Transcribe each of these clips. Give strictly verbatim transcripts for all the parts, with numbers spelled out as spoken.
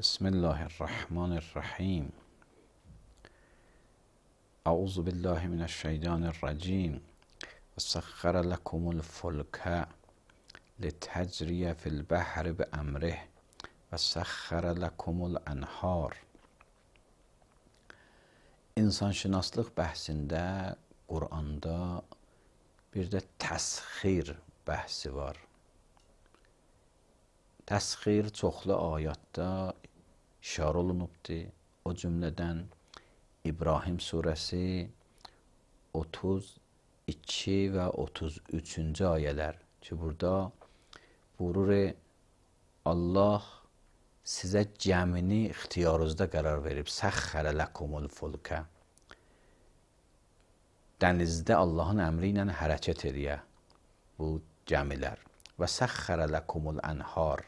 بسم الله الرحمن الرحیم. اعوذ بالله من الشیطان الرجیم. وسخر لكم الفلك لتجری فی البحر بامره وسخر لكم الانهار. İnsanşünaslıq bəhsində Quranda bir də təsxir bəhsi var. Təsxir çoxlu ayətdə işarə olunubdur. O cümlədən İbrahim surəsi otuz iki və otuz üçüncü ayələr ki, burada buyurur, Allah sizə gəmini ixtiyarınızda qərar verib. Səxxərə ləkumul fulkə. Dənizdə Allahın əmri ilə hərəkət ediyə bu gəmilər. Və səxxərə ləkumul ənhar.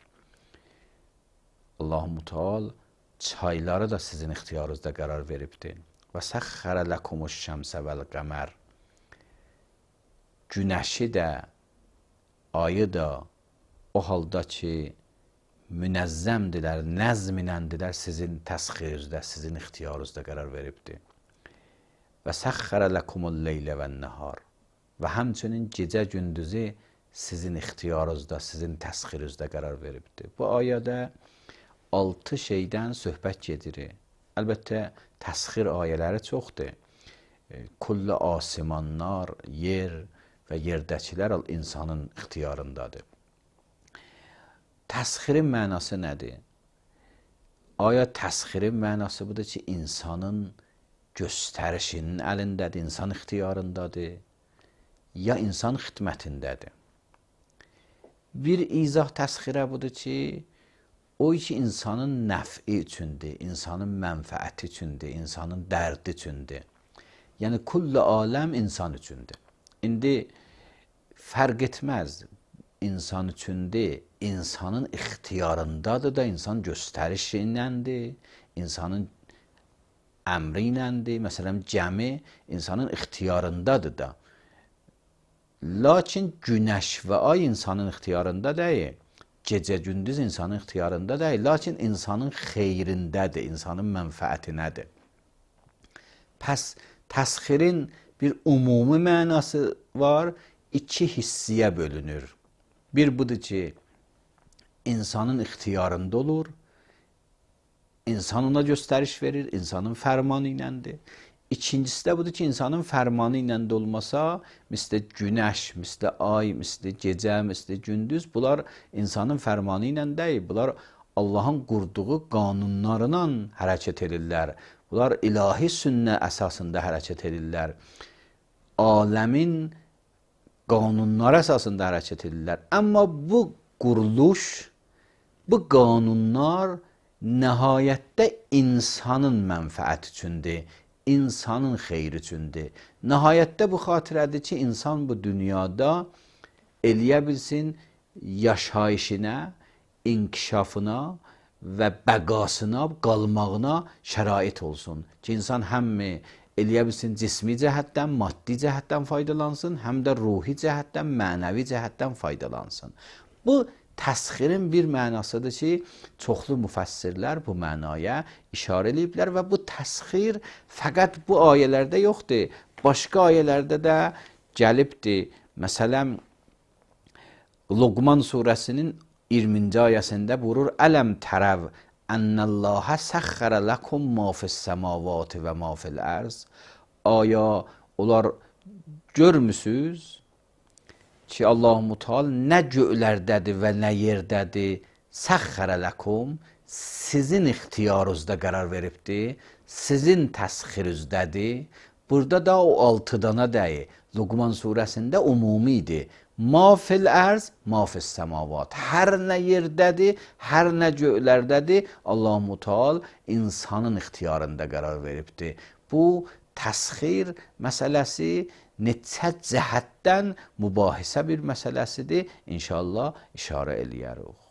Allah-u Müteal çayları da sizin ixtiyarınızda qərar veribdir. Və səxxərə ləkumuş şəmsə vəl qəmər. Günəşi də, ayı da o halda ki, münəzzəmdirlər, nəzminəndirlər, sizin təsxirinizdə, sizin ixtiyarınızda qərar veribdir. Və səxxərə ləkumul leylə və nəhar. Və həmçinin gecə gündüzü sizin ixtiyarınızda, sizin təsxirinizdə qərar veribdir. Bu ayədə altı şeydən söhbət gedir. Əlbəttə, təsxir ayələri çoxdur. Kullu asimanlar, yer və yerdəkilər insanın ixtiyarındadır. Təsxirin mənası nədir? Aya təsxirin mənası budur ki, insanın göstərişinin əlindədir, insan ixtiyarındadır, ya insan xidmətindədir. Bir izah təsxirə budur ki, o ki, insanın nəfi üçündür, insanın mənfəəti üçündür, insanın dərdi üçündür. Yəni, kullu aləm insan üçündür. İndi fərq etməz, insan üçündür, insanın ixtiyarındadır da, insan göstərişi iləndir, insanın əmri iləndir. Məsələn, gəmi insanın ixtiyarındadır da. Lakin günəş və ay insanın ixtiyarında deyil. Gecə gündüz insanın ixtiyarında deyil. Lakin insanın xeyrindədir, insanın mənfəətinədir. Pəs təsxirin bir ümumi mənası var, iki hissiyə bölünür. Bir budur ki, insanın ixtiyarında olur, insan ona göstəriş verir, insanın fərmanı iləndir. İkincisi də budur ki, insanın fərmanı ilə də olmasa, mislə günəş, mislə ay, mislə gecə, mislə gündüz, bunlar insanın fərmanı ilə deyil, bunlar Allahın qurduğu qanunlarla hərəkət edirlər. Bunlar ilahi sünnə əsasında hərəkət edirlər. Aləmin qanunları əsasında hərəkət edirlər. Amma bu quruluş, bu qanunlar nəhayətdə insanın mənfəəti üçündür, insanın xeyri üçündür. Nəhayətdə bu xatirədir ki, insan bu dünyada eləyə bilsin, yaşayışına, inkişafına və bəqasına, qalmağına şərait olsun. Ki, insan həm eləyə bilsin, cismi cəhətdən, maddi cəhətdən faydalansın, həm də ruhi cəhətdən, mənəvi cəhətdən faydalansın. Bu, təsxirin bir mənasıdır ki, çoxlu müfəssirlər bu mənaya işarə ediblər və bu təsxir fəqət bu ayələrdə yoxdur. Başqa ayələrdə də gəlibdir. Məsələn, Luqman surəsinin iyirminci ayəsində buyurur, Ələm tərəv ənəlləhə səxxərə ləkum ma fis-səmavati və ma fil-ərz. Aya, onlar görmüsünüz ki, Allah-u Müteal nə göylərdədir və nə yerdədir, səxxərə ləkum, sizin ixtiyarınızda qərar veribdir, sizin təsxirizdədir. Burada da o altı dana deyil. Luqman surəsində umumidir. Ma fil-ərz, ma fis-səmavat. Hər nə yerdədir, hər nə göylərdədir, Allah-u Müteal insanın ixtiyarında qərar veribdir. Bu, təsxir məsələsi neçə cəhətdən mübahisə bir məsələsidir. İnşallah işarə eləyərik.